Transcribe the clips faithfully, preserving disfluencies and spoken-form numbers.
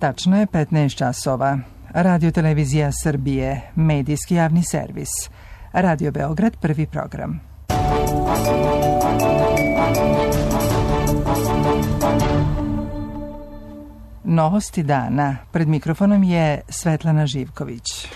Tačno je petnaest časova. Radio Televizija Srbije, medijski javni servis. Radio Beograd, prvi program. Novosti dana. Pred mikrofonom je Svetlana Živković.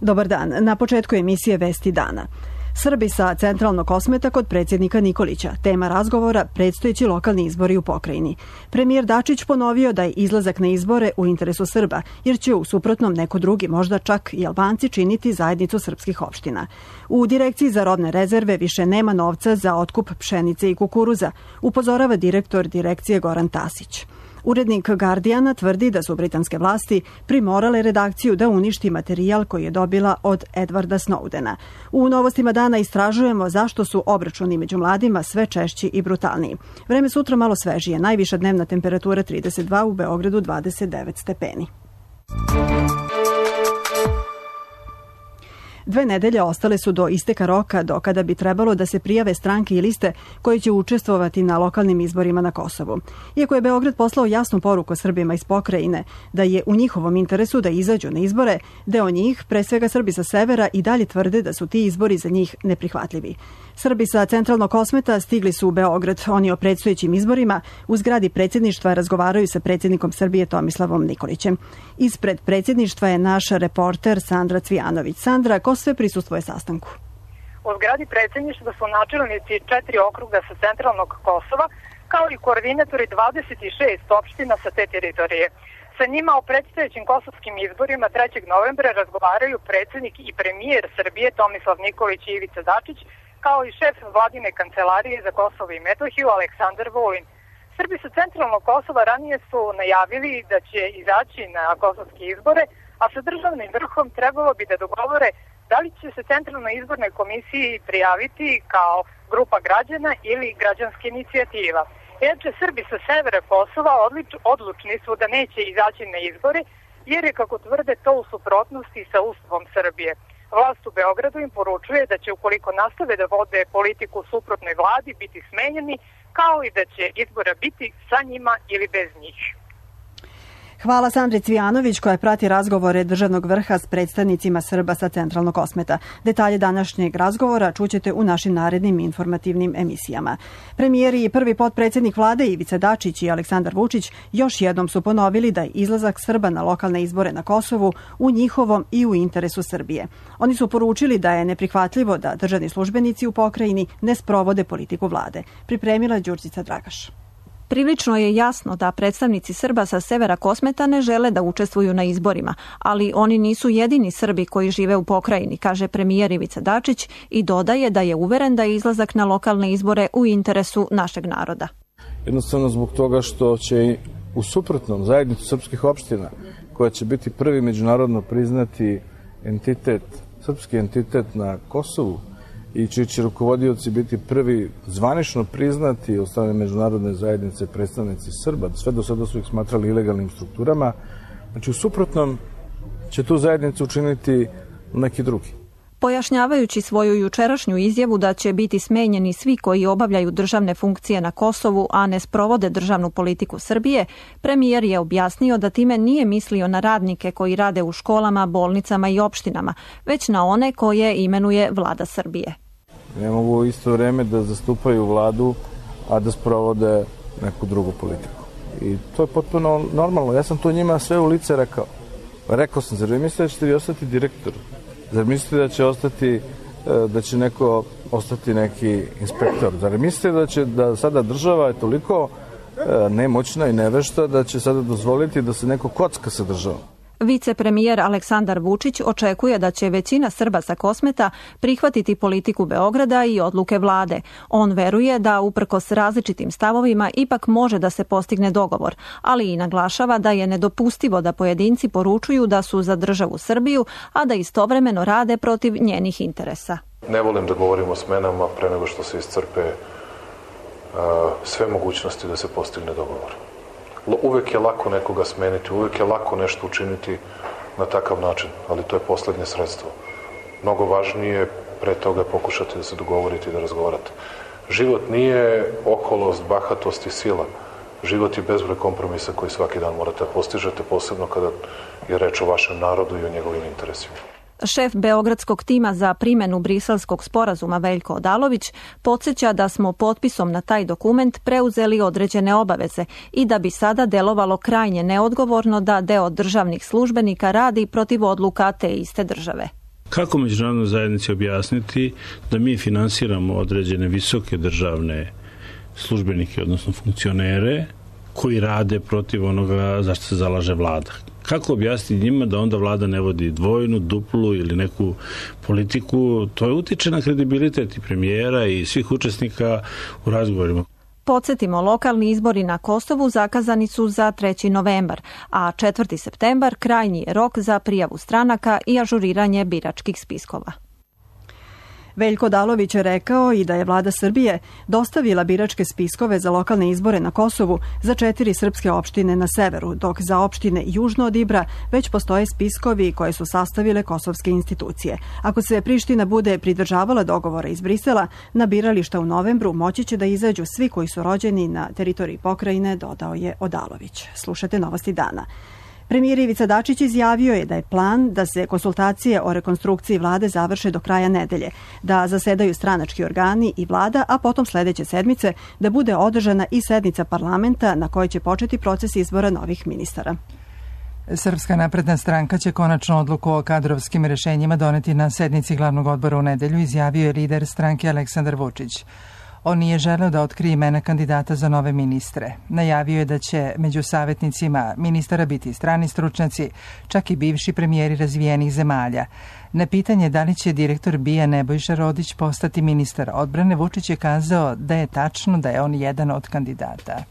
Dobar dan. Na početku emisije Vesti dana. Srbi sa centralnog Kosmeta kod predsjednika Nikolića. Tema razgovora predstojeći lokalni izbori u pokrajini. Premijer Dačić ponovio da je izlazak na izbore u interesu Srba, jer će u suprotnom neko drugi, možda čak i Albanci, činiti zajednicu srpskih opština. U Direkciji za robne rezerve više nema novca za otkup pšenice i kukuruza, upozorava direktor direkcije Goran Tasić. Urednik Guardiana tvrdi da su britanske vlasti primorale redakciju da uništi materijal koji je dobila od Edwarda Snowdena. U Novostima dana istražujemo zašto su obračuni među mladima sve češći i brutalniji. Vreme sutra malo svežije, najviša dnevna temperatura trideset dva, u Beogradu dvadeset devet stepeni. Dve nedelje ostale su do isteka roka do kada bi trebalo da se prijave stranke i liste koje će učestvovati na lokalnim izborima na Kosovu. Iako je Beograd poslao jasnu poruku Srbima iz pokrajine da je u njihovom interesu da izađu na izbore, deo njih, pre svega Srbi sa severa, i dalje tvrde da su ti izbori za njih neprihvatljivi. Srbi sa centralnog Kosmeta stigli su u Beograd. Oni o predstojećim izborima u zgradi predsjedništva razgovaraju sa predsjednikom Srbije Tomislavom Nikolićem. Ispred predsjedništva je naš reporter Sandra Cvijanović. Sandra, ko sve prisustvuje sastanku? U zgradi predsjedništva su načelnici četiri okruga sa centralnog Kosova, kao i koordinatori dvadeset šest opština sa te teritorije. Sa njima o predstojećim kosovskim izborima trećeg novembra razgovaraju predsjednik i premijer Srbije Tomislav Nikolić i Ivica Dačić, kao i šef vladine kancelarije za Kosovo i Metohiju Aleksandar Vulin. Srbi sa centralnog Kosova ranije su najavili da će izaći na kosovske izbore, a sa državnim vrhom trebalo bi da dogovore da li će se Centralnoj izbornoj komisiji prijaviti kao grupa građana ili građanska inicijativa. Inače, Srbi sa severa Kosova odlučni su da neće izaći na izbore, jer je, kako tvrde, to u suprotnosti sa Ustavom Srbije. Vlast u Beogradu im poručuje da će, ukoliko nastave da vode politiku suprotnoj vladi, biti smenjeni, kao i da će izbora biti sa njima ili bez njih. Hvala Sandri Cvijanović koja prati razgovore državnog vrha s predstavnicima Srba sa centralnog Kosmeta. Detalje današnjeg razgovora čućete u našim narednim informativnim emisijama. Premijeri i prvi potpredsjednik vlade Ivica Dačić i Aleksandar Vučić još jednom su ponovili da je izlazak Srba na lokalne izbore na Kosovu u njihovom i u interesu Srbije. Oni su poručili da je neprihvatljivo da državni službenici u pokrajini ne sprovode politiku vlade. Pripremila Đurđica Dragaš. Prilično je jasno da predstavnici Srba sa severa Kosmeta ne žele da učestvuju na izborima, ali oni nisu jedini Srbi koji žive u pokrajini, kaže premijer Ivica Dačić i dodaje da je uveren da je izlazak na lokalne izbore u interesu našeg naroda. Jednostavno zbog toga što će u suprotnom zajednicu srpskih opština, koja će biti prvi međunarodno priznati entitet, srpski entitet na Kosovu, i čiji će rukovodioci biti prvi zvanično priznati od strane međunarodne zajednice predstavnici Srba, sve do sada su ih smatrali ilegalnim strukturama. Znači, u suprotnom će tu zajednicu učiniti neki drugi. Pojašnjavajući svoju jučerašnju izjavu da će biti smenjeni svi koji obavljaju državne funkcije na Kosovu, a ne sprovode državnu politiku Srbije, premijer je objasnio da time nije mislio na radnike koji rade u školama, bolnicama i opštinama, već na one koje imenuje vlada Srbije. Ne mogu u isto vreme da zastupaju vladu, a da sprovode neku drugu politiku. I to je potpuno normalno. Ja sam to njima sve u lice rekao. Rekao sam, zar vi mislite da ćete vi ostati direktor? Zar mislite da će ostati, da će neko ostati neki inspektor? Zar mislite da će da sada država je toliko nemoćna i nevešta da će sada dozvoliti da se neko kocka sa državom? Vicepremijer Aleksandar Vučić očekuje da će većina Srba sa Kosmeta prihvatiti politiku Beograda i odluke vlade. On veruje da uprkos različitim stavovima ipak može da se postigne dogovor, ali i naglašava da je nedopustivo da pojedinci poručuju da su za državu Srbiju, a da istovremeno rade protiv njenih interesa. Ne volim da govorim o smenama pre nego što se iscrpe uh, sve mogućnosti da se postigne dogovor. Uvek je lako nekoga smeniti, uvek je lako nešto učiniti na takav način, ali to je poslednje sredstvo. Mnogo važnije pre toga pokušati da se dogovorite i da razgovarate. Život nije oholost, bahatost i sila. život je bezbroj kompromisa koji svaki dan morate da postižete, posebno kada je reč o vašem narodu i o njegovim interesima. Šef beogradskog tima za primjenu briselskog sporazuma Veljko Odalović podsjeća da smo potpisom na taj dokument preuzeli određene obaveze i da bi sada delovalo krajnje neodgovorno da deo državnih službenika radi protiv odluka te iste države. Kako međunarodnoj zajednici objasniti da mi finansiramo određene visoke državne službenike, odnosno funkcionere, koji rade protiv onoga za što se zalaže vlada? Kako objasniti njima da onda vlada ne vodi dvojnu, duplu ili neku politiku? To je utiče na kredibilitet i premijera i svih učesnika u razgovorima. Podsjetimo, lokalni izbori na Kosovu zakazani su za treći novembar, a četvrti septembar krajnji je rok za prijavu stranaka i ažuriranje biračkih spiskova. Veljko Odalović je rekao i da je vlada Srbije dostavila biračke spiskove za lokalne izbore na Kosovu za četiri srpske opštine na severu, dok za opštine južno od Ibra već postoje spiskovi koje su sastavile kosovske institucije. Ako se Priština bude pridržavala dogovora iz Brisela, na birališta u novembru moći će da izađu svi koji su rođeni na teritoriji pokrajine, dodao je Odalović. Slušate Novosti dana. Premijer Ivica Dačić izjavio je da je plan da se konsultacije o rekonstrukciji vlade završe do kraja nedelje, da zasedaju stranački organi i vlada, a potom sledeće sedmice da bude održana i sednica parlamenta na kojoj će početi proces izbora novih ministara. Srpska napredna stranka će konačno odluku o kadrovskim rešenjima doneti na sednici glavnog odbora u nedelju, izjavio je lider stranke Aleksandar Vučić. On nije želeo da otkrije imena kandidata za nove ministre. Najavio je da će među savjetnicima ministara biti strani stručnjaci, čak i bivši premijeri razvijenih zemalja. Na pitanje da li će direktor B I A Nebojša Rodić postati ministar odbrane, Vučić je kazao da je tačno da je on jedan od kandidata.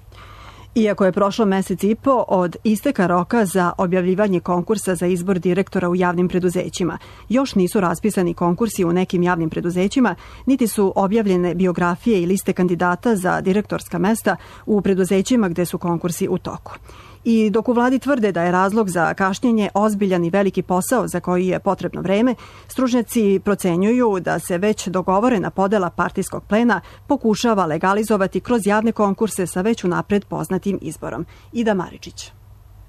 Iako je prošlo mesec i po od isteka roka za objavljivanje konkursa za izbor direktora u javnim preduzećima, još nisu raspisani konkursi u nekim javnim preduzećima, niti su objavljene biografije i liste kandidata za direktorska mesta u preduzećima gde su konkursi u toku. I dok u vladi tvrde da je razlog za kašnjenje ozbiljan i veliki posao za koji je potrebno vreme, stručnjaci procenjuju da se već dogovorena podela partijskog plena pokušava legalizovati kroz javne konkurse sa već unapred poznatim izborom. Ida Maričić.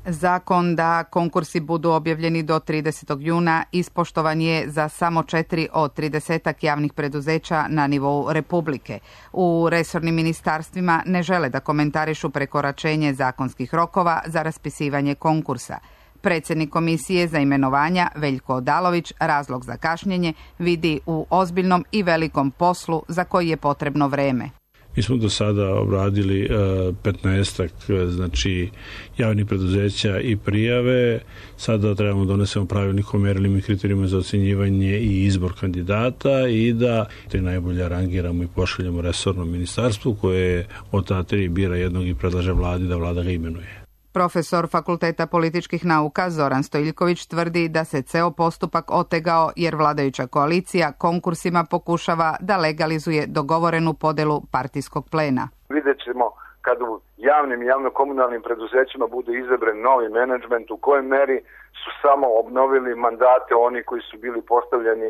Zakon da konkursi budu objavljeni do tridesetog juna ispoštovan je za samo četiri od tridesetak javnih preduzeća na nivou Republike. U resornim ministarstvima ne žele da komentarišu prekoračenje zakonskih rokova za raspisivanje konkursa. Predsjednik Komisije za imenovanja Veljko Odalović razlog za kašnjenje vidi u ozbiljnom i velikom poslu za koji je potrebno vreme. Mi smo do sada obradili petnaestak znači, javnih preduzeća i prijave. Sada trebamo donesemo pravilnik o merilima i kriterijima za ocjenjivanje i izbor kandidata i da te najbolje rangiramo i pošaljemo resornom ministarstvu koje od ta tri bira jednog i predlaže vladi da vlada ga imenuje. Profesor Fakulteta političkih nauka Zoran Stojiljković tvrdi da se ceo postupak otegao jer vladajuća koalicija konkursima pokušava da legalizuje dogovorenu podelu partijskog plena. Vidjet ćemo kad u javnim i javno-komunalnim preduzećima bude izabran novi menadžment, u kojoj meri su samo obnovili mandate oni koji su bili postavljeni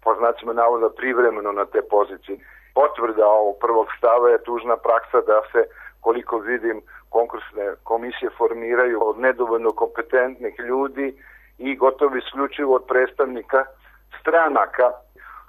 po znacima navoda privremeno na te pozicije. Potvrda ovog prvog stava je tužna praksa da se, koliko vidim, konkursne komisije formiraju od nedovoljno kompetentnih ljudi i gotovo isključivo od predstavnika stranaka,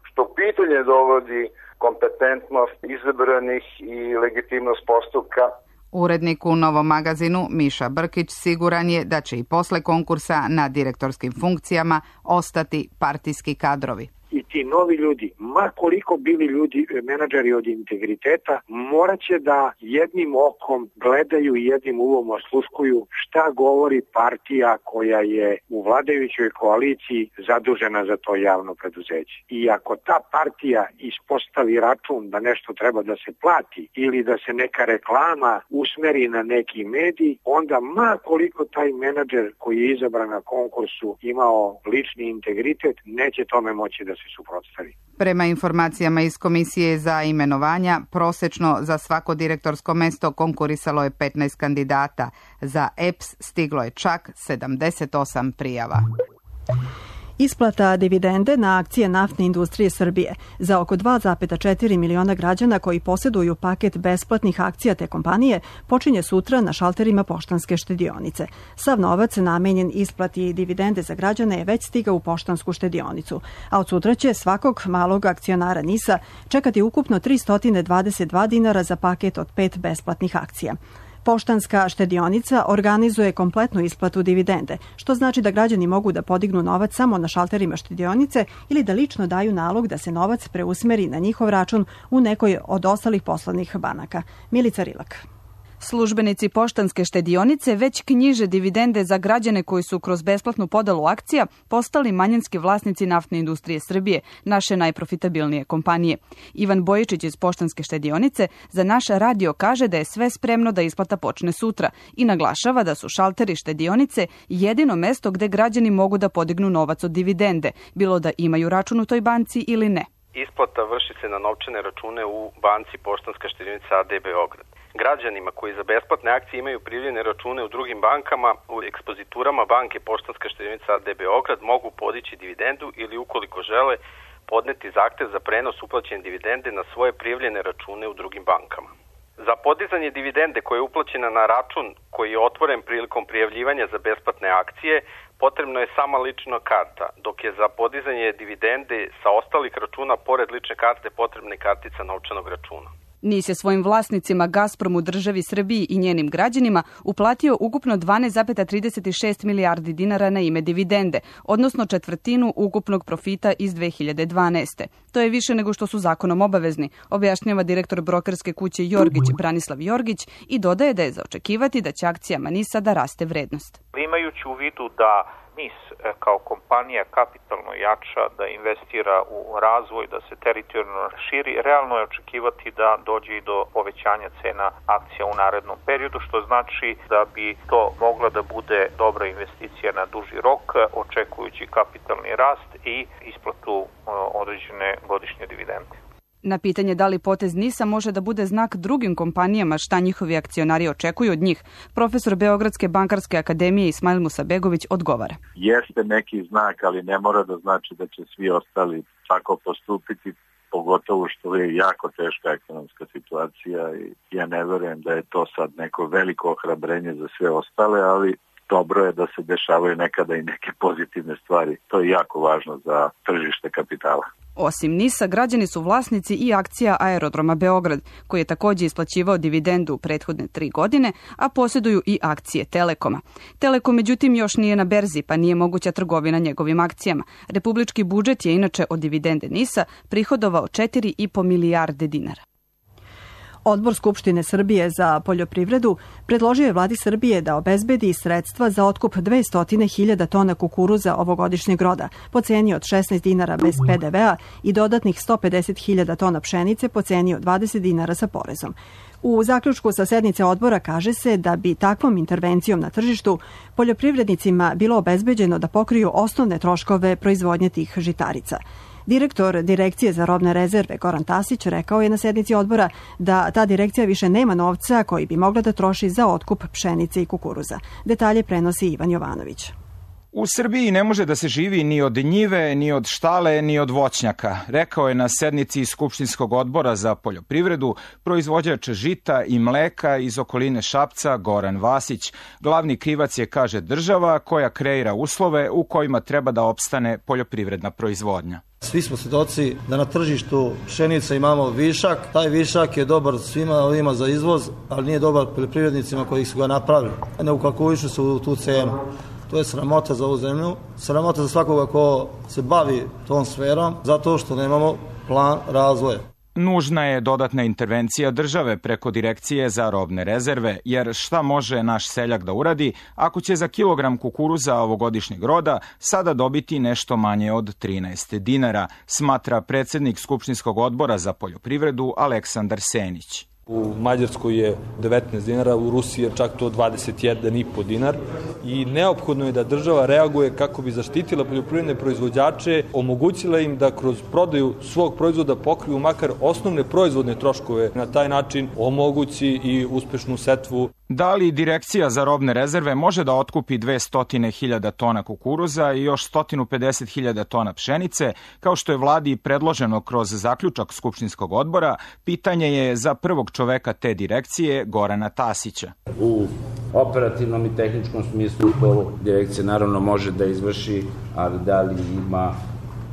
što pitanje dovodi kompetentnost izabranih i legitimnost postupka. Urednik u Novom magazinu Miša Brkić siguran je da će i posle konkursa na direktorskim funkcijama ostati partijski kadrovi. I ti novi ljudi, ma koliko bili ljudi menadžeri od integriteta, morat će da jednim okom gledaju i jednim uvom osluškuju šta govori partija koja je u vladajućoj koaliciji zadužena za to javno preduzeće. I ako ta partija ispostavi račun da nešto treba da se plati ili da se neka reklama usmeri na neki medij, onda ma koliko taj menadžer koji je izabran na konkursu imao lični integritet, neće tome moći da se suprotstavi. Prema informacijama iz Komisije za imenovanja, prosečno za svako direktorsko mesto konkurisalo je petnaest kandidata. Za E P S stiglo je čak sedamdeset osam prijava. Isplata dividende na akcije naftne industrije Srbije za oko dva zarez četiri miliona građana koji posjeduju paket besplatnih akcija te kompanije počinje sutra na šalterima Poštanske štedionice. Sav novac namenjen isplati dividende za građane je već stigao u Poštansku štedionicu, a od sutra će svakog malog akcionara NIS-a čekati ukupno tristo dvadeset dva dinara za paket od pet besplatnih akcija. Poštanska štedionica organizuje kompletnu isplatu dividende, što znači da građani mogu da podignu novac samo na šalterima štedionice ili da lično daju nalog da se novac preusmeri na njihov račun u nekoj od ostalih poslovnih banaka. Milica Rilak. Službenici Poštanske štedionice već knjiže dividende za građane koji su kroz besplatnu podelu akcija postali manjinski vlasnici naftne industrije Srbije, naše najprofitabilnije kompanije. Ivan Bojičić iz Poštanske štedionice za naš radio kaže da je sve spremno da isplata počne sutra i naglašava da su šalteri štedionice jedino mesto gde građani mogu da podignu novac od dividende, bilo da imaju račun u toj banci ili ne. Isplata vrši se na novčane račune u banci Poštanska štedionica A D Beograd. Građanima koji za besplatne akcije imaju prijavljene račune u drugim bankama, u ekspoziturama banke Poštanska štedionica A D Beograd mogu podići dividendu ili ukoliko žele podneti zahtev za prenos uplaćene dividende na svoje prijavljene račune u drugim bankama. Za podizanje dividende koja je uplaćena na račun koji je otvoren prilikom prijavljivanja za besplatne akcije, potrebno je sama lična karta, dok je za podizanje dividende sa ostalih računa pored lične karte potrebna i kartica novčanog računa. NIS je svojim vlasnicima Gazpromu, državi Srbiji i njenim građanima uplatio ukupno dvanaest zarez trideset šest milijardi dinara na ime dividende, odnosno četvrtinu ukupnog profita iz dve hiljade dvanaeste. To je više nego što su zakonom obavezni, objašnjava direktor brokerske kuće Jorgić Branislav Jorgić i dodaje da je za očekivati da će akcijama NIS-a da raste vrednost. Imajući u vidu da NIS kao kompanija kapitalno jača, da investira u razvoj, da se teritorijalno širi, realno je očekivati da dođe i do povećanja cena akcija u narednom periodu, što znači da bi to mogla da bude dobra investicija na duži rok, očekujući kapitalni rast i isplatu određene godišnje dividende. Na pitanje da li potez NIS-a može da bude znak drugim kompanijama šta njihovi akcionari očekuju od njih, profesor Beogradske bankarske akademije Ismail Musabegović odgovara. Jeste neki znak, ali ne mora da znači da će svi ostali tako postupiti, pogotovo što je jako teška ekonomska situacija i ja ne verujem da je to sad neko veliko ohrabrenje za sve ostale, ali dobro je da se dešavaju nekada i neke pozitivne stvari. To je jako važno za tržište kapitala. Osim NIS-a, građani su vlasnici i akcija Aerodroma Beograd, koji je također isplaćivao dividendu u prethodne tri godine, a posjeduju i akcije Telekoma. Telekom, međutim, još nije na berzi, pa nije moguća trgovina njegovim akcijama. Republički budžet je inače od dividende NIS-a prihodovao četiri i po milijarde dinara. Odbor Skupštine Srbije za poljoprivredu predložio je vladi Srbije da obezbedi sredstva za otkup dvesta hiljada tona kukuruza ovogodišnjeg roda po ceni od šesnaest dinara bez pe de vea i dodatnih sto pedeset hiljada tona pšenice po ceni od dvadeset dinara sa porezom. U zaključku sa sednice odbora kaže se da bi takvom intervencijom na tržištu poljoprivrednicima bilo obezbeđeno da pokriju osnovne troškove proizvodnje tih žitarica. Direktor Direkcije za robne rezerve Goran Tasić rekao je na sednici odbora da ta direkcija više nema novca koji bi mogla da troši za otkup pšenice i kukuruza. Detalje prenosi Ivan Jovanović. U Srbiji ne može da se živi ni od njive, ni od štale, ni od voćnjaka, rekao je na sednici Skupštinskog odbora za poljoprivredu proizvođač žita i mleka iz okoline Šapca Goran Vasić. Glavni krivac je, kaže, država koja kreira uslove u kojima treba da opstane poljoprivredna proizvodnja. Svi smo svjedoci da na tržištu pšenice imamo višak. Taj višak je dobar svima ovima za izvoz, ali nije dobar poljoprivrednicima koji su ga napravili. Ne ukalkulišu se u tu cenu. To je sramota za ovu zemlju, sramota za svakoga ko se bavi tom sferom, zato što nemamo plan razvoja. Nužna je dodatna intervencija države preko Direkcije za robne rezerve, jer šta može naš seljak da uradi ako će za kilogram kukuruza ovogodišnjeg roda sada dobiti nešto manje od trinaest dinara, smatra predsjednik Skupštinskog odbora za poljoprivredu Aleksandar Senić. U Mađarskoj je devetnaest dinara, u Rusiji je čak to dvadeset jedan i po dinar i neophodno je da država reaguje kako bi zaštitila poljoprivredne proizvođače, omogućila im da kroz prodaju svog proizvoda pokriju makar osnovne proizvodne troškove, na taj način omogući i uspešnu setvu. Da li Direkcija za robne rezerve može da otkupi dvesta hiljada tona kukuruza i još sto pedeset hiljada tona pšenice, kao što je vladi predloženo kroz zaključak Skupštinskog odbora, pitanje je za prvog čoveka te direkcije, Gorana Tasića. U operativnom i tehničkom smislu to direkcija naravno može da izvrši, ali da li ima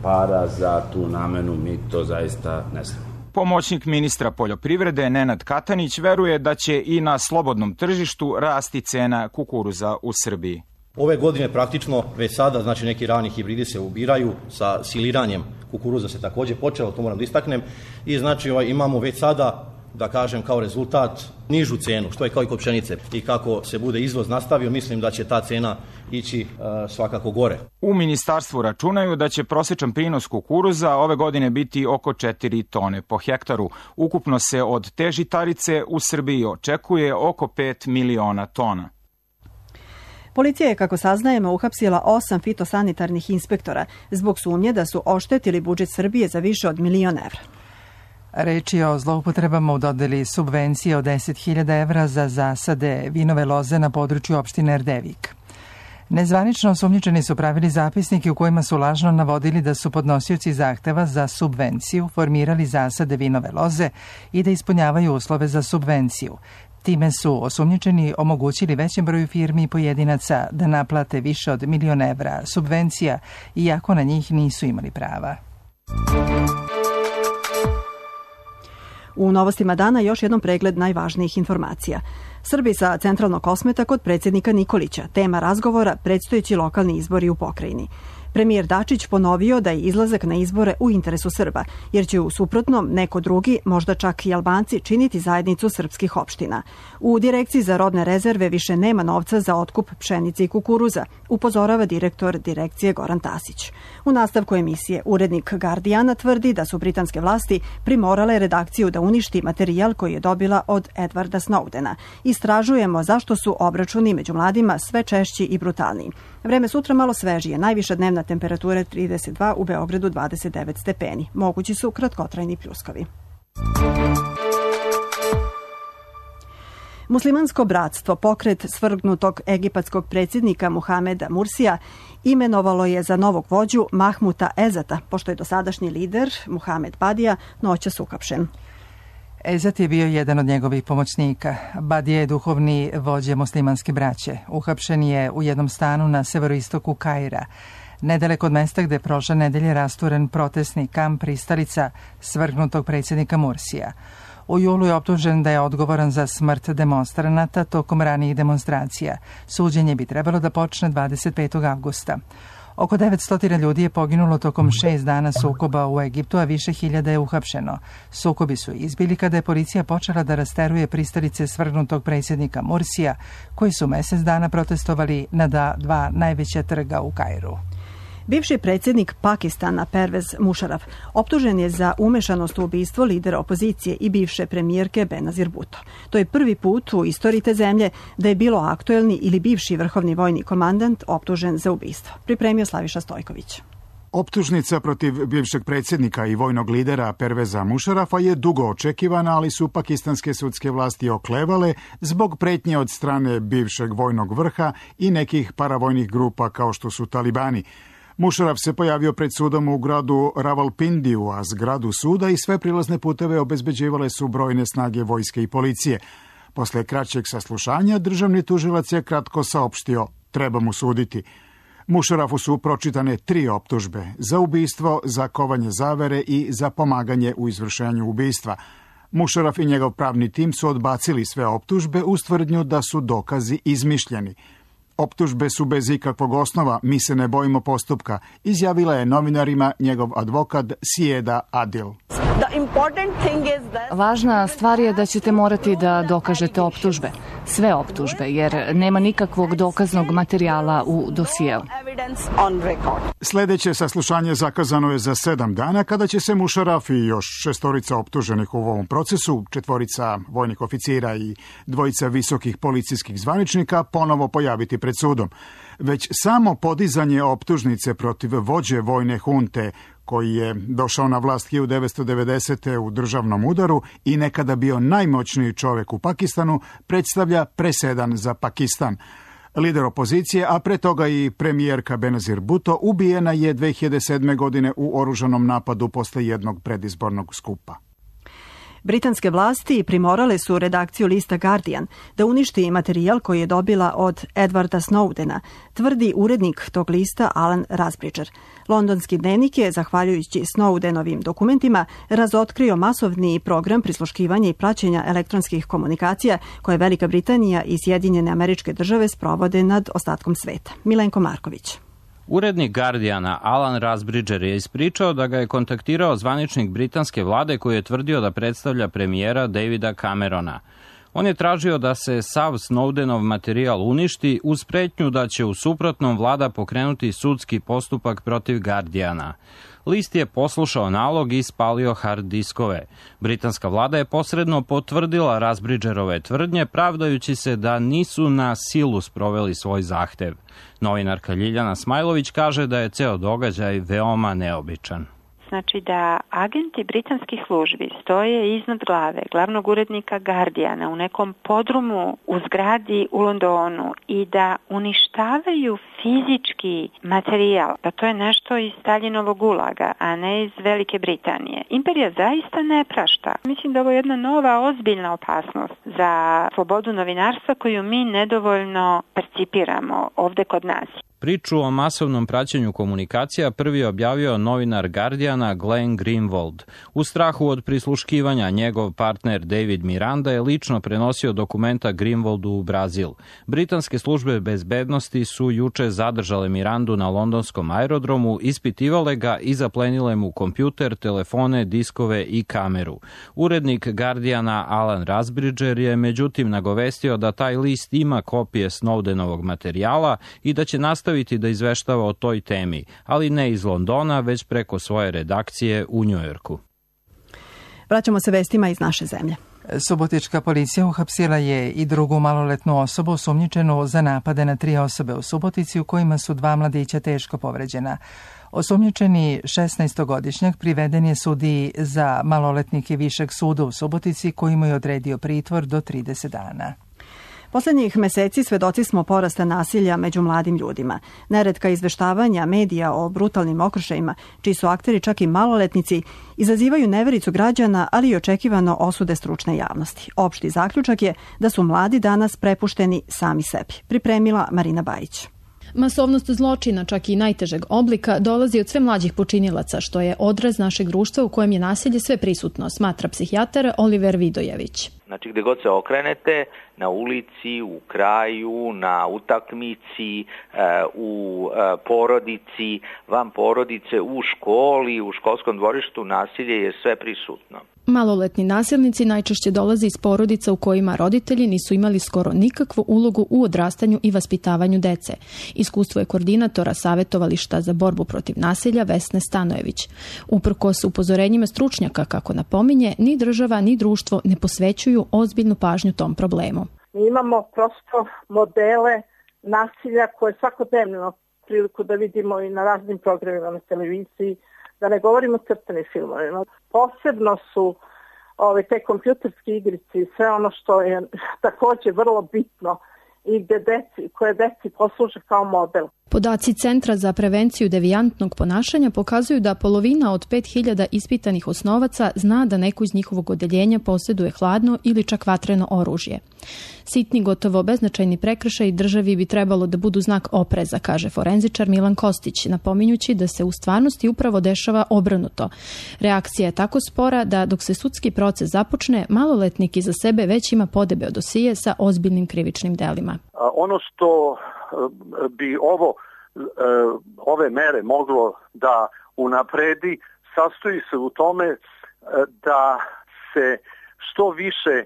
para za tu namenu, mi to zaista ne znamo. Pomoćnik ministra poljoprivrede Nenad Katanić veruje da će i na slobodnom tržištu rasti cena kukuruza u Srbiji. Ove godine praktično već sada, znači neki rani hibridi se ubiraju, sa siliranjem kukuruza se takođe počelo, to moram da istaknem, i znači ovaj, imamo već sada, da kažem, kao rezultat nižu cenu, što je kao i kod pšenice. I kako se bude izvoz nastavio, mislim da će ta cena ići e, svakako gore. U ministarstvu računaju da će prosječan prinos kukuruza ove godine biti oko četiri tone po hektaru. Ukupno se od te žitarice u Srbiji očekuje oko pet miliona tona. Policija je, kako saznajemo, uhapsila osam fitosanitarnih inspektora zbog sumnje da su oštetili budžet Srbije za više od milion evra. Reč je o zloupotrebama u dodeli subvencije od deset hiljada evra za zasade vinove loze na području opštine Erdevik. Nezvanično osumnjičeni su pravili zapisnike u kojima su lažno navodili da su podnosioci zahteva za subvenciju formirali zasade vinove loze i da ispunjavaju uslove za subvenciju. Time su osumnjičeni omogućili većem broju firmi i pojedinaca da naplate više od milion evra subvencija, iako na njih nisu imali prava. U novostima dana još jednom pregled najvažnijih informacija. Srbi sa centralnog kosmeta kod predsjednika Nikolića. Tema razgovora predstojeći lokalni izbori u pokrajini. Premijer Dačić ponovio da je izlazak na izbore u interesu Srba, jer će u suprotnom neko drugi, možda čak i Albanci, činiti zajednicu srpskih opština. U Direkciji za robne rezerve više nema novca za otkup pšenice i kukuruza, upozorava direktor direkcije Goran Tasić. U nastavku emisije urednik Guardiana tvrdi da su britanske vlasti primorale redakciju da uništi materijal koji je dobila od Edwarda Snowdena. Istražujemo zašto su obračuni među mladima sve češći i brutalniji. Vreme sutra malo svežije, najviša dnevna temperatura trideset dva, u Beogradu dvadeset devet stepeni. Mogući su kratkotrajni pljuskovi. Muslimansko bratstvo, pokret svrgnutog egipatskog predsjednika Muhameda Mursija, imenovalo je za novog vođu Mahmuta Ezata, pošto je dosadašnji lider Muhamed Badija noćas uhapšen. Ezat je bio jedan od njegovih pomoćnika. Badija je duhovni vođa muslimanske braće. Uhapšen je u jednom stanu na severoistoku Kaira, nedaleko od mesta gde je prošle nedelje rasturen protestni kamp pristalica svrgnutog predsjednika Mursija. U julu je optužen da je odgovoran za smrt demonstranata tokom ranijih demonstracija. Suđenje bi trebalo da počne dvadeset petog avgusta. Oko devetsto ljudi je poginulo tokom šest dana sukoba u Egiptu, a više hiljada je uhapšeno. Sukobi su izbili kada je policija počela da rasteruje pristalice svrgnutog predsjednika Mursija, koji su mesec dana protestovali na dva najveća trga u Kairu. Bivši predsjednik Pakistana Pervez Musharraf optužen je za umešanost u ubistvo lidera opozicije i bivše premijerke Benazir Bhutto. To je prvi put u istoriji te zemlje da je bilo aktuelni ili bivši vrhovni vojni komandant optužen za ubistvo. Pripremio Slaviša Stojković. Optužnica protiv bivšeg predsjednika i vojnog lidera Perveza Musharrafa je dugo očekivana, ali su pakistanske sudske vlasti oklevale zbog pretnje od strane bivšeg vojnog vrha i nekih paravojnih grupa kao što su talibani. Musharraf se pojavio pred sudom u gradu Rawalpindiju, a zgradu suda i sve prilazne puteve obezbeđivale su brojne snage vojske i policije. Posle kraćeg saslušanja, državni tužilac je kratko saopštio, treba mu suditi. Musharrafu su pročitane tri optužbe, za ubistvo, za kovanje zavere i za pomaganje u izvršenju ubistva. Musharraf i njegov pravni tim su odbacili sve optužbe uz tvrdnju da su dokazi izmišljeni. Optužbe su bez ikakvog osnova, mi se ne bojimo postupka, izjavila je novinarima njegov advokat Sijeda Adil. Važna stvar je da ćete morati da dokažete optužbe, sve optužbe, jer nema nikakvog dokaznog materijala u dosijeu. Sljedeće saslušanje zakazano je za sedam dana, kada će se Musharraf i još šestorica optuženih u ovom procesu, četvorica vojnih oficira i dvojica visokih policijskih zvaničnika, ponovo pojaviti pred sudom, već samo podizanje optužnice protiv vođe vojne hunte koji je došao na vlast hiljadu devetsto devedesete. u državnom udaru i nekada bio najmoćniji čovjek u Pakistanu, predstavlja presedan za Pakistan. Lider opozicije, a pre toga i premijerka Benazir Bhutto, ubijena je dve hiljade sedme. godine u oružanom napadu posle jednog predizbornog skupa. Britanske vlasti primorale su redakciju lista Guardian da uništi materijal koji je dobila od Edwarda Snowdena, tvrdi urednik tog lista Alan Rusbridger. Londonski dnevnik je, zahvaljujući Snowdenovim dokumentima, razotkrio masovni program prisluškivanja i praćenja elektronskih komunikacija koje Velika Britanija i Sjedinjene Američke Države sprovode nad ostatkom sveta. Milenko Marković. Urednik Guardiana Alan Rusbridger je ispričao da ga je kontaktirao zvaničnik britanske vlade koji je tvrdio da predstavlja premijera Davida Camerona. On je tražio da se sav Snowdenov materijal uništi uz pretnju da će u suprotnom vlada pokrenuti sudski postupak protiv Guardiana. List je poslušao nalog i spalio hard diskove. Britanska vlada je posredno potvrdila Rusbridgerove tvrdnje, pravdajući se da nisu na silu sproveli svoj zahtev. Novinarka Ljiljana Smajlović kaže da je ceo događaj veoma neobičan. Znači da agenti britanskih službi stoje iznad glave glavnog urednika Guardiana u nekom podrumu u zgradi u Londonu i da uništavaju fizički materijal, pa to je nešto iz Staljinovog gulaga, a ne iz Velike Britanije. Imperija zaista ne prašta. Mislim da ovo je jedna nova ozbiljna opasnost za slobodu novinarstva koju mi nedovoljno percipiramo ovde kod nas. Priču o masovnom praćenju komunikacija prvi je objavio novinar Guardiana Glenn Greenwald. U strahu od prisluškivanja njegov partner David Miranda je lično prenosio dokumenta Greenwaldu u Brazil. Britanske službe bezbednosti su juče zadržale Mirandu na londonskom aerodromu, ispitivale ga i zaplenile mu kompjuter, telefone, diskove i kameru. Urednik Guardiana Alan Rusbridger je međutim nagovestio da taj list ima kopije Snowdenovog materijala i da će nastaviti da izveštava o toj temi, ali ne iz Londona, već preko svoje redakcije u Njujorku. Vraćamo se vestima iz naše zemlje. Subotička policija uhapsila je i drugu maloletnu osobu osumnjičenu za napade na tri osobe u Subotici, u kojima su dva mladića teško povređena. Osumnjičeni šesnaestogodišnjak priveden je sudiji za maloletnike Višeg suda u Subotici, koji mu je odredio pritvor do trideset dana. Poslednjih meseci svedoci smo porasta nasilja među mladim ljudima. Neretka izveštavanja medija o brutalnim okršajima, čiji su akteri čak i maloletnici, izazivaju nevericu građana, ali i očekivano osude stručne javnosti. Opšti zaključak je da su mladi danas prepušteni sami sebi. Pripremila Marina Bajić. Masovnost zločina, čak i najtežeg oblika, dolazi od sve mlađih počinilaca, što je odraz našeg društva u kojem je nasilje sve prisutno, smatra psihijatar Oliver Vidojević. Znači gde god se okrenete, na ulici, u kraju, na utakmici, u porodici, van porodice, u školi, u školskom dvorištu, nasilje je sve prisutno. Maloletni nasilnici najčešće dolaze iz porodica u kojima roditelji nisu imali skoro nikakvu ulogu u odrastanju i vaspitavanju dece. Iskustvo je koordinatora savjetovališta za borbu protiv nasilja Vesne Stanojević. Uprkos upozorenjima stručnjaka, kako napominje, ni država ni društvo ne posvećuju ozbiljnu pažnju tom problemu. Mi imamo prosto modele nasilja koje svakodnevno priliku da vidimo i na raznim programima na televiziji, da ne govorimo o crtanim filmovima. Posebno su ove, te kompjuterske igrice i sve ono što je također vrlo bitno i gde deci, koje deci posluže kao model. Podaci Centra za prevenciju devijantnog ponašanja pokazuju da polovina od pet hiljada ispitanih osnovaca zna da neko iz njihovog odeljenja posjeduje hladno ili čak vatreno oružje. Sitni, gotovo beznačajni prekršaji državi bi trebalo da budu znak opreza, kaže forenzičar Milan Kostić, napominjući da se u stvarnosti upravo dešava obrnuto. Reakcija je tako spora da dok se sudski proces započne, maloletnik iza sebe već ima podebeo dosije sa ozbiljnim krivičnim delima. Ono što bi ovo, ove mere moglo da unapredi, sastoji se u tome da se što više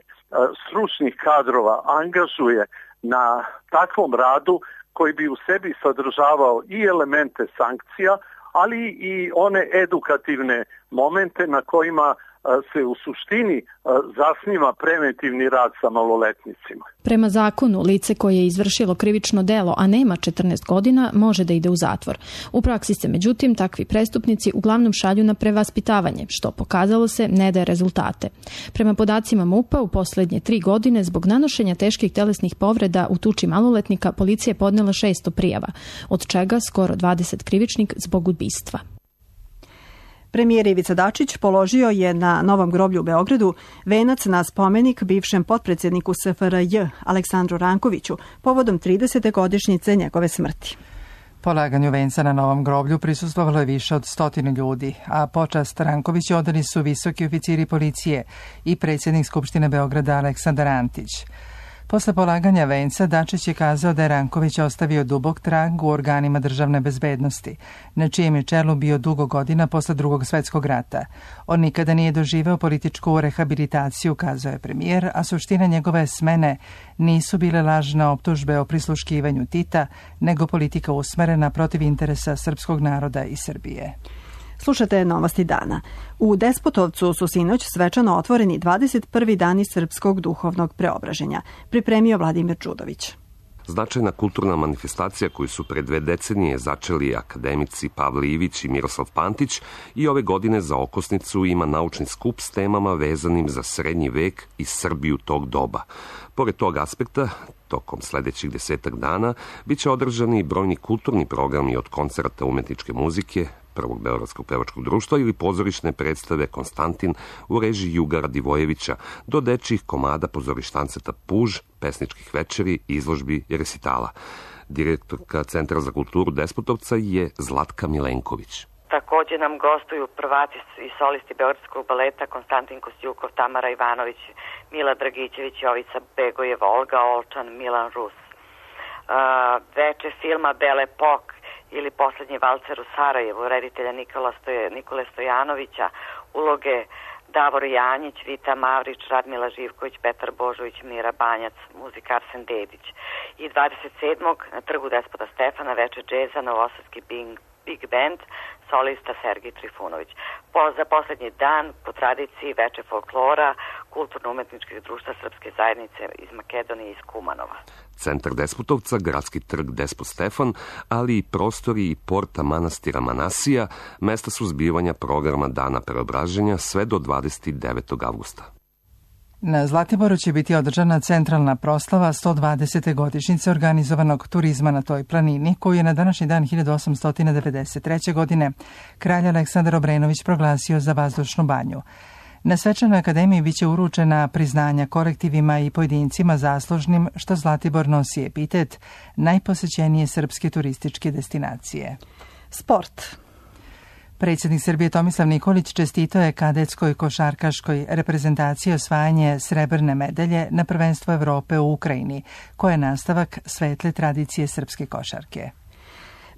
stručnih kadrova angažuje na takvom radu koji bi u sebi sadržavao i elemente sankcija, ali i one edukativne momente na kojima se u suštini zasniva preventivni rad sa maloletnicima. Prema zakonu, lice koje je izvršilo krivično delo, a nema četrnaest godina, može da ide u zatvor. U praksi se, međutim, takvi prestupnici uglavnom šalju na prevaspitavanje, što pokazalo se ne daje rezultate. Prema podacima MUP-a, u poslednje tri godine, zbog nanošenja teških telesnih povreda u tuči maloletnika, policija je podnela šesto prijava, od čega skoro dvadeset krivičnih zbog ubistva. Premijer Ivica Dačić položio je na Novom groblju u Beogradu venac na spomenik bivšem potpredsjedniku S F R J Aleksandru Rankoviću povodom tridesete godišnjice njegove smrti. Polaganju venca na Novom groblju prisustvovalo je više od stotinu ljudi, a počast Rankoviću odali su visoki oficiri policije i predsjednik Skupštine Beograda Aleksandar Antić. Posle polaganja venca, Dačić je kazao da je Ranković ostavio dubok trag u organima državne bezbednosti, na čijem je čelu bio dugo godina posle drugog svetskog rata. On nikada nije doživeo političku rehabilitaciju, kazao je premijer, a suština njegove smene nisu bile lažne optužbe o prisluškivanju Tita, nego politika usmerena protiv interesa srpskog naroda i Srbije. Slušate Novosti dana. U Despotovcu su sinoć svečano otvoreni dvadeset prvi dani srpskog duhovnog preobraženja, pripremio Vladimir Đudović. Značajna kulturna manifestacija koju su pre dve decenije začeli akademici Pavle Ivić i Miroslav Pantić i ove godine za okosnicu ima naučni skup s temama vezanim za srednji vek i Srbiju tog doba. Pored tog aspekta, tokom sledećih desetak dana biće održani brojni kulturni programi od koncerta umetničke muzike, Prvog beogradskog pevačkog društva ili pozorišne predstave Konstantin u režiji Juga Radivojevića do dečjih komada pozorištanceta Puž, pesničkih večeri, izložbi i resitala. Direktorka Centra za kulturu Despotovca je Zlatka Milenković. Takođe nam gostuju prvaci i solisti Beogradskog baleta Konstantin Kostjukov, Tamara Ivanović, Mila Dragićević, Jovica Begojev, Olga Olčan, Milan Rus. Uh, veče filma Belle Époque ili Poslednji valcer u Sarajevu, reditelja Nikola Stoje, Nikole Stojanovića, uloge Davor Janjić, Vita Mavrić, Radmila Živković, Petar Božović, Mira Banjac, muzika Arsen Dedić. I dvadeset sedmog na trgu Despota Stefana veče džeza Novosadski Big, Big Band, solista Sergij Trifunović. Po, za poslednji dan, po tradiciji veče folklora, kulturno-umetničkih društva Srpske zajednice iz Makedonije i iz Kumanova. Centar Despotovca, gradski trg Despot Stefan, ali i prostori i porta manastira Manasija, mesta su zbivanja programa Dana preobraženja sve do dvadeset devetog avgusta. Na Zlatiboru će biti održana centralna proslava sto dvadesete godišnjice organizovanog turizma na toj planini, koju je na današnji dan hiljadu osamsto devedeset treće. godine kralj Aleksandar Obrenović proglasio za vazdušnu banju. Na svečanoj akademiji biće uručena priznanja kolektivima i pojedincima zaslužnim što Zlatibor nosi epitet najposećenije srpske turističke destinacije. Sport. Predsjednik Srbije Tomislav Nikolić čestitao je kadetskoj košarkaškoj reprezentaciji osvajanje srebrne medalje na prvenstvo Evrope u Ukrajini, koja je nastavak svetle tradicije srpske košarke.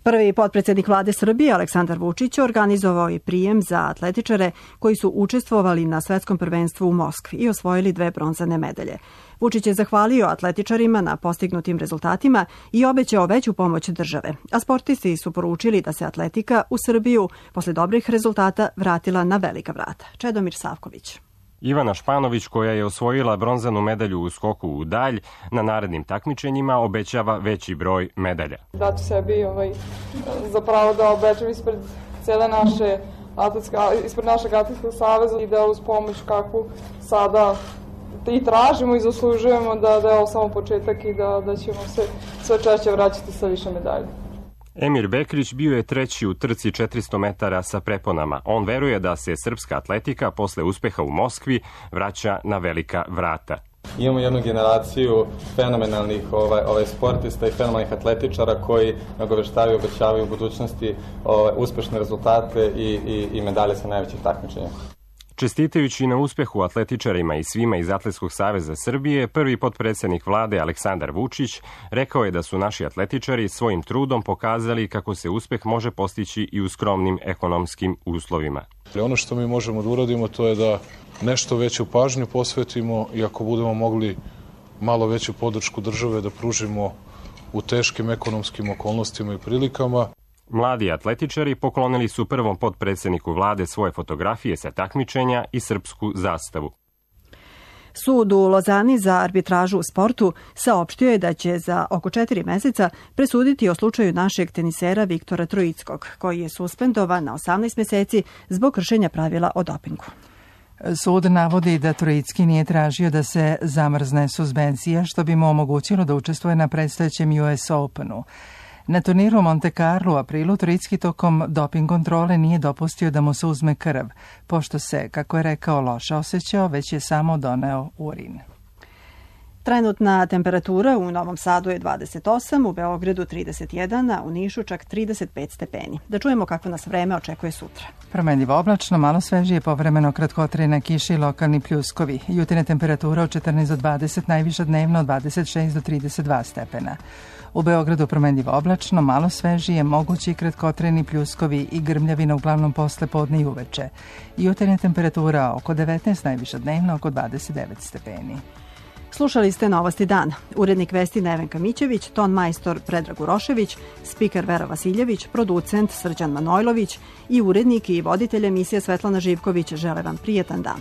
Prvi potpredsjednik vlade Srbije Aleksandar Vučić organizovao je prijem za atletičare koji su učestvovali na svetskom prvenstvu u Moskvi i osvojili dve bronzane medalje. Vučić je zahvalio atletičarima na postignutim rezultatima i obećao veću pomoć države, a sportisti su poručili da se atletika u Srbiju posle dobrih rezultata vratila na velika vrata. Čedomir Savković. Ivana Španović, koja je osvojila bronzanu medalju u skoku u dalj, na narednim takmičenjima obećava veći broj medalja. Dati sebi ovaj, zapravo da obećam ispred cele naše atletske, ispred našeg atletskog saveza i da uz pomoć kakvu sada i tražimo i zaslužujemo da, da je ovo samo početak i da, da ćemo se sve češće vraćati sa više medalje. Emir Bekrić bio je treći u trci četiristo metara sa preponama. On veruje da se srpska atletika posle uspeha u Moskvi vraća na velika vrata. Imamo jednu generaciju fenomenalnih ovaj, ovaj sportista i fenomenalnih atletičara koji nagoveštavaju i obećavaju u budućnosti ovaj, uspešne rezultate i, i, i medalje sa najvećih takmičenja. Čestitajući na uspehu atletičarima i svima iz Atletskog saveza Srbije, prvi potpredsjednik vlade Aleksandar Vučić rekao je da su naši atletičari svojim trudom pokazali kako se uspeh može postići i u skromnim ekonomskim uslovima. Ono što mi možemo da uradimo to je da nešto veću pažnju posvetimo i ako budemo mogli malo veću podršku države da pružimo u teškim ekonomskim okolnostima i prilikama. Mladi atletičari poklonili su prvom potpredsjedniku vlade svoje fotografije sa takmičenja i srpsku zastavu. Sud u Lozani za arbitražu u sportu saopštio je da će za oko četiri meseca presuditi o slučaju našeg tenisera Viktora Troickog, koji je suspendovan na osamnaest meseci zbog kršenja pravila o dopingu. Sud navodi da Troicki nije tražio da se zamrzne suspenzija, što bi mu omogućilo da učestvuje na predstojećem U S Openu. Na turniru Monte Carlo u aprilu Troicki tokom doping kontrole nije dopustio da mu se uzme krv, pošto se, kako je rekao, loše osjećao, već je samo doneo urin. Trenutna temperatura u Novom Sadu je dvadeset osam, u Beogradu trideset jedan, a u Nišu čak trideset pet stepeni. Da čujemo kako nas vreme očekuje sutra. Promenljivo oblačno, malo svežije, povremeno kratkotrajna kiša i lokalni pljuskovi. Jutarnja temperatura od četrnaest do dvadeset, najviša dnevno od dvadeset šest do trideset dva stepena. U Beogradu promenljivo oblačno, malo svežije, mogući kratkotrajni pljuskovi i grmljavina uglavnom posle podne i uveče. Jutarnja temperatura oko devetnaest, najviša dnevno oko dvadeset devet stepeni. Slušali ste Novosti dana. Urednik vesti Nevenka Mićević, ton majstor Predrag Urošević, spiker Vera Vasiljević, producent Srđan Manojlović i urednik i voditelj emisije Svetlana Živković žele vam prijetan dan.